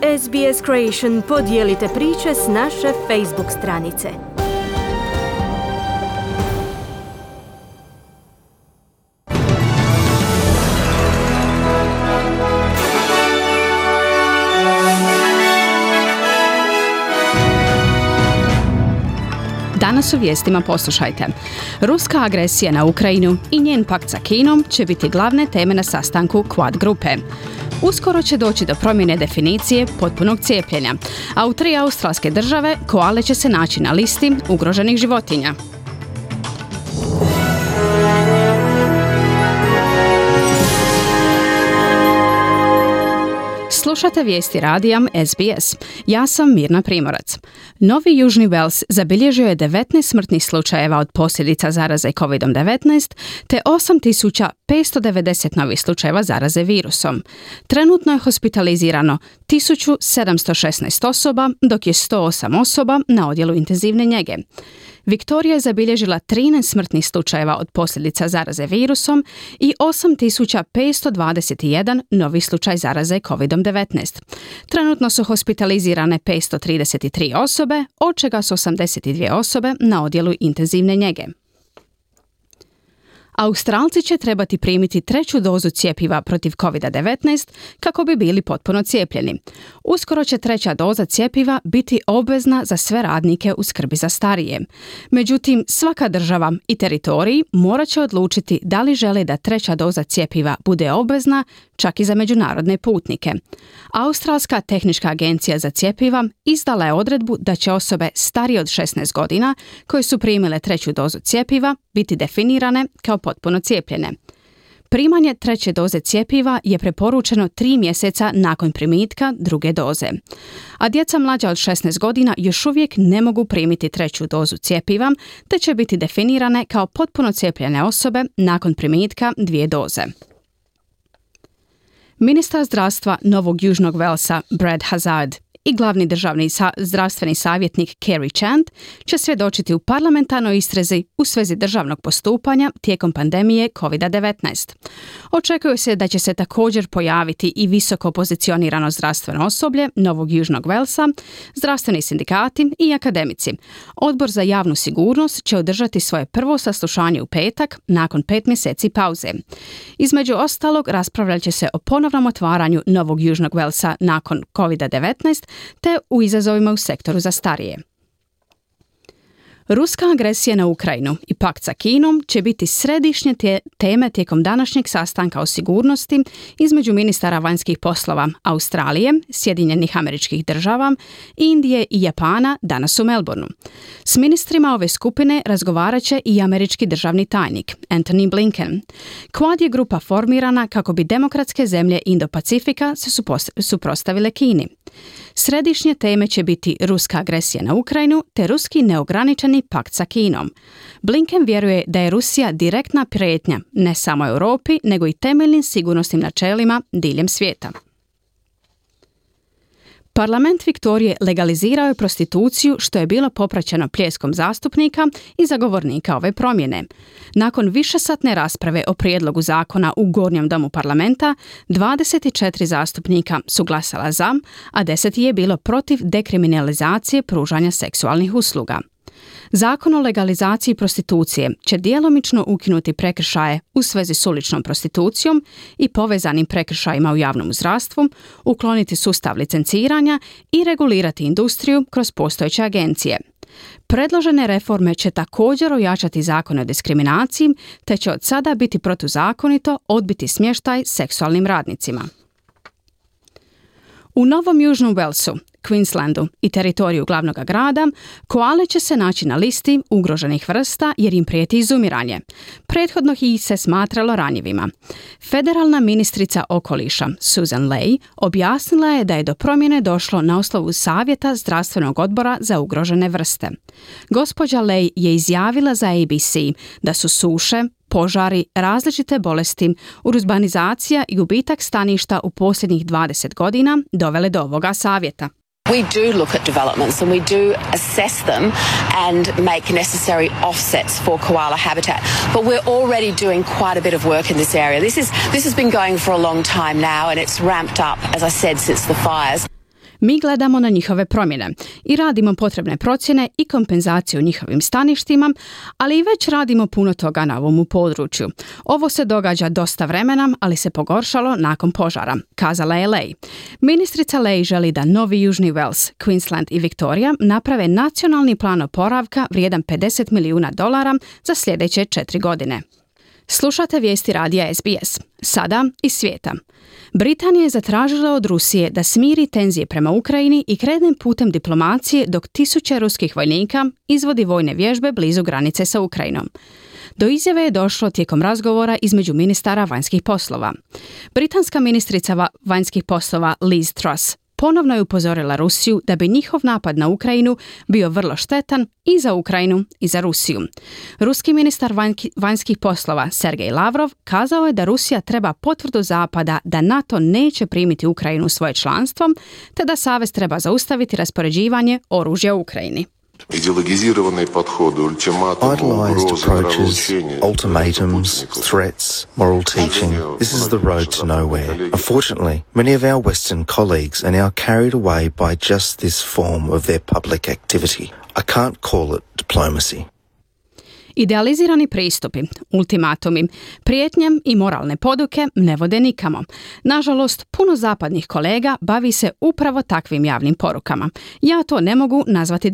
SBS Creation podijelite priče s naše Facebook stranice. Danas u vijestima poslušajte. Ruska agresija na Ukrajinu i njen pakt sa Kinom će biti glavne teme na sastanku Quad grupe. Uskoro će doći do promjene definicije potpunog cijepljenja, a u 3 australske države koale će se naći na listi ugroženih životinja. Slušate vijesti radija SBS. Ja sam Mirna Primorac. Novi Južni Wales zabilježio je 19 smrtnih slučajeva od posljedica zaraze COVID-19 te 8590 novih slučajeva zaraze virusom. Trenutno je hospitalizirano 1716 osoba, dok je 108 osoba na odjelu intenzivne njege. Viktorija je zabilježila 13 smrtnih slučajeva od posljedica zaraze virusom i 8521 novi slučaj zaraze COVID-19. Trenutno su hospitalizirane 533 osobe, od čega su 82 osobe na odjelu intenzivne njege. Australci će trebati primiti 3. dozu cjepiva protiv COVID-19 kako bi bili potpuno cijepljeni. Uskoro će 3. doza cjepiva biti obvezna za sve radnike u skrbi za starije. Međutim, svaka država i teritorij morat će odlučiti da li žele da 3. doza cjepiva bude obvezna čak i za međunarodne putnike. Australska tehnička agencija za cjepiva izdala je odredbu da će osobe starije od 16 godina koje su primile 3. dozu cjepiva biti definirane kao potpuno cijepljene. Primanje 3. doze cjepiva je preporučeno 3 mjeseca nakon primitka 2. doze. A djeca mlađa od 16 godina još uvijek ne mogu primiti 3. dozu cjepiva, te će biti definirane kao potpuno cijepljene osobe nakon primitka 2 doze. Ministar zdravstva Novog Južnog Walesa Brad Hazzard i glavni državni zdravstveni savjetnik Kerry Chant će svjedočiti u parlamentarnoj istrazi u svezi državnog postupanja tijekom pandemije COVID-19. Očekuje se da će se također pojaviti i visoko pozicionirano zdravstveno osoblje Novog Južnog Walesa, zdravstveni sindikati i akademici. Odbor za javnu sigurnost će održati svoje prvo saslušanje u petak nakon 5 mjeseci pauze. Između ostalog, raspravljat će se o ponovnom otvaranju Novog Južnog Walesa nakon COVID-19 te u izazovima u sektoru za starije. Ruska agresija na Ukrajinu i pakt sa Kinom će biti središnje teme tijekom današnjeg sastanka o sigurnosti između ministara vanjskih poslova Australije, Sjedinjenih Američkih Država, Indije i Japana danas u Melbourneu. S ministrima ove skupine razgovarat će i američki državni tajnik Antony Blinken. Quad je grupa formirana kako bi demokratske zemlje Indo-Pacifika se suprotstavile Kini. Središnje teme će biti ruska agresija na Ukrajinu te ruski neograničeni pakt sa Kinom. Blinken vjeruje da je Rusija direktna prijetnja ne samo Europi, nego i temeljnim sigurnosnim načelima diljem svijeta. Parlament Viktorije legalizirao je prostituciju, što je bilo popraćeno pljeskom zastupnika i zagovornika ove promjene. Nakon višesatne rasprave o prijedlogu zakona u Gornjem domu parlamenta, 24 zastupnika su glasala za, a 10 je bilo protiv dekriminalizacije pružanja seksualnih usluga. Zakon o legalizaciji prostitucije će djelomično ukinuti prekršaje u svezi s uličnom prostitucijom i povezanim prekršajima u javnom zdravstvu, ukloniti sustav licenciranja i regulirati industriju kroz postojeće agencije. Predložene reforme će također ojačati zakon o diskriminaciji, te će od sada biti protuzakonito odbiti smještaj seksualnim radnicima. U Novom Južnom Walesu, Queenslandu i teritoriju glavnog grada, koale će se naći na listi ugroženih vrsta jer im prijeti izumiranje. Prethodno ih se smatralo ranjivima. Federalna ministrica okoliša Susan Ley objasnila je da je do promjene došlo na osnovu savjeta zdravstvenog odbora za ugrožene vrste. Gospođa Ley je izjavila za ABC da su suše, požari, različite bolesti, urbanizacija i gubitak staništa u posljednjih 20 godina dovele do ovoga savjeta. We do look at developments and we do assess them and make necessary offsets for koala habitat. But we're already doing quite a bit of work in this area. This has been going for a long time now and it's ramped up, as I said, since the fires. Mi gledamo na njihove promjene i radimo potrebne procjene i kompenzaciju njihovim staništima, ali i već radimo puno toga na ovom području. Ovo se događa dosta vremena, ali se pogoršalo nakon požara, kazala je Ley. Ministrica Ley želi da Novi Južni Wales, Queensland i Victoria naprave nacionalni plan oporavka vrijedan $50 milijuna za sljedeće 4 godine. Slušate vijesti radija SBS. Sada iz svijeta. Britanija je zatražila od Rusije da smiri tenzije prema Ukrajini i krene putem diplomacije dok 1000 ruskih vojnika izvodi vojne vježbe blizu granice sa Ukrajinom. Do izjave je došlo tijekom razgovora između ministara vanjskih poslova. Britanska ministrica vanjskih poslova Liz Truss ponovno je upozorila Rusiju da bi njihov napad na Ukrajinu bio vrlo štetan i za Ukrajinu i za Rusiju. Ruski ministar vanjskih poslova Sergej Lavrov kazao je da Rusija treba potvrdu Zapada da NATO neće primiti Ukrajinu u svoje članstvo, te da savez treba zaustaviti raspoređivanje oružja u Ukrajini. Ideologizirani podhod, ultimatum, Idolized approaches, ultimatums, threats, moral teaching. This is the road to nowhere. Unfortunately, many of our Western colleagues are now carried away by just this form of their public activity. I can't call it diplomacy. Idealizirani pristupi, ultimatumi, prijetnje i moralne poduke ne vode nikamo. Nažalost, puno zapadnih kolega bavi se upravo takvim javnim porukama. Ja to ne mogu nazvati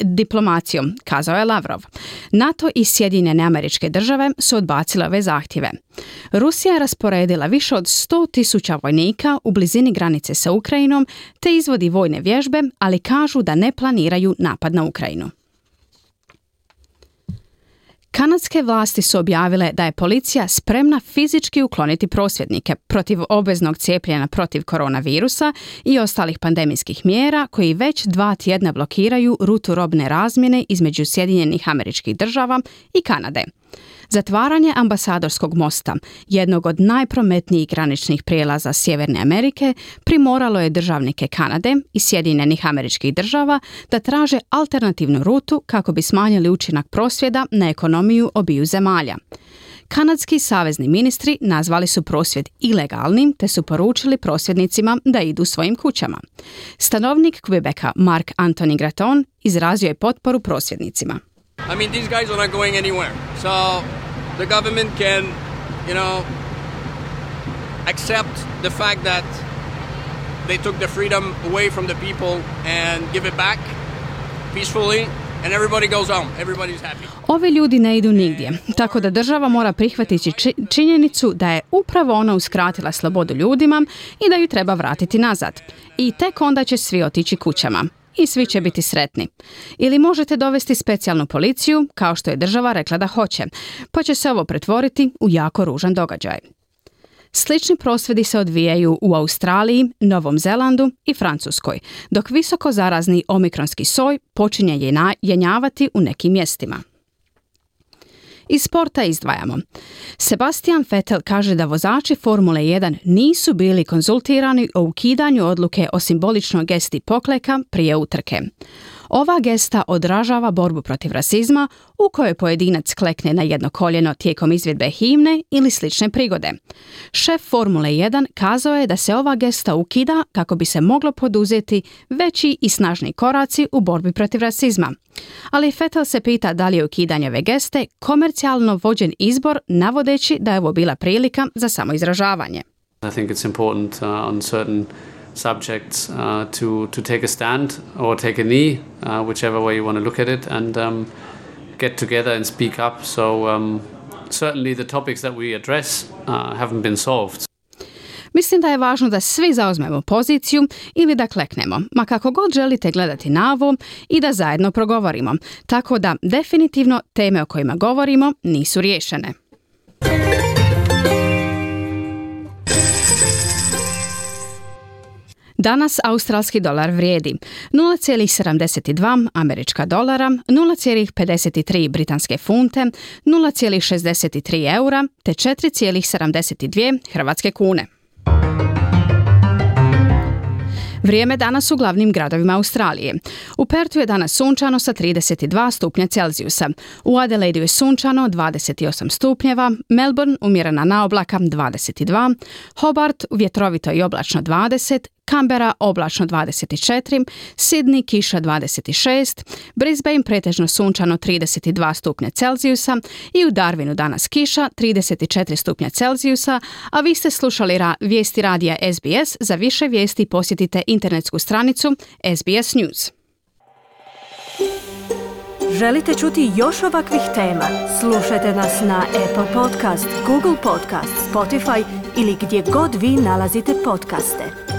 diplomacijom, kazao je Lavrov. NATO i Sjedinjene Američke Države su odbacile ove zahtjeve. Rusija je rasporedila više od 100.000 vojnika u blizini granice sa Ukrajinom te izvodi vojne vježbe, ali kažu da ne planiraju napad na Ukrajinu. Kanadske vlasti su objavile da je policija spremna fizički ukloniti prosvjednike protiv obveznog cijepljenja protiv koronavirusa i ostalih pandemijskih mjera koji već 2 tjedna blokiraju rutu robne razmjene između Sjedinjenih Američkih Država i Kanade. Zatvaranje ambasadorskog mosta, jednog od najprometnijih graničnih prijelaza Sjeverne Amerike, primoralo je državnike Kanade i Sjedinjenih Američkih Država da traže alternativnu rutu kako bi smanjili učinak prosvjeda na ekonomiju obiju zemalja. Kanadski savezni ministri nazvali su prosvjed ilegalnim te su poručili prosvjednicima da idu svojim kućama. Stanovnik Quebeca Mark Anthony Graton izrazio je potporu prosvjednicima. I mean, these guys are not going anywhere. So the government can, accept the fact that they took the freedom away from the people and give it back peacefully, and everybody goes home. Everybody's happy. Ovi ljudi ne idu nigdje, tako da država mora prihvatiti činjenicu da je upravo ona uskratila slobodu ljudima i da ju treba vratiti nazad. I tek onda će svi otići kućama. I svi će biti sretni. Ili možete dovesti specijalnu policiju, kao što je država rekla da hoće, pa će se ovo pretvoriti u jako ružan događaj. Slični prosvjedi se odvijaju u Australiji, Novom Zelandu i Francuskoj, dok visoko zarazni omikronski soj počinje jenjavati u nekim mjestima. Iz sporta izdvajamo. Sebastian Vettel kaže da vozači Formule 1 nisu bili konzultirani o ukidanju odluke o simboličnoj gesti pokleka prije utrke. Ova gesta odražava borbu protiv rasizma u kojoj pojedinac klekne na jedno koljeno tijekom izvedbe himne ili slične prigode. Šef Formule 1 kazao je da se ova gesta ukida kako bi se moglo poduzeti veći i snažni koraci u borbi protiv rasizma. Ali Vettel se pita da li je ukidanje ove geste komercijalno vođen izbor navodeći da je ovo bila prilika za samoizražavanje. I think it's important on certain subjects to take a stand or take a knee, whichever way you want to look at it, and get together and speak up. So certainly the topics that we address haven't been solved. Mislim da je važno da svi zauzmemo poziciju ili da kleknemo, ma kako god želite gledati na ovo i da zajedno progovorimo. Tako da definitivno teme o kojima govorimo nisu riješene. Danas australski dolar vrijedi 0,72 američka dolara, 0,53 britanske funte, 0,63 eura te 4,72 hrvatske kune. Vrijeme danas u glavnim gradovima Australije. U Perthu je danas sunčano sa 32 stupnja Celzijusa. U Adelaidu je sunčano 28 stupnjeva, Melbourne umjerena naoblaka 22, Hobart vjetrovito i oblačno 20, Canberra oblačno 24, Sydney kiša 26, Brisbane pretežno sunčano 32 stupnja Celzijusa i u Darwinu danas kiša 34 stupnja Celzijusa, a vi ste slušali vijesti radija SBS. Za više vijesti posjetite internetsku stranicu SBS News. Želite čuti još ovakvih tema? Slušajte nas na Apple Podcast, Google Podcast, Spotify ili gdje god vi nalazite podcaste.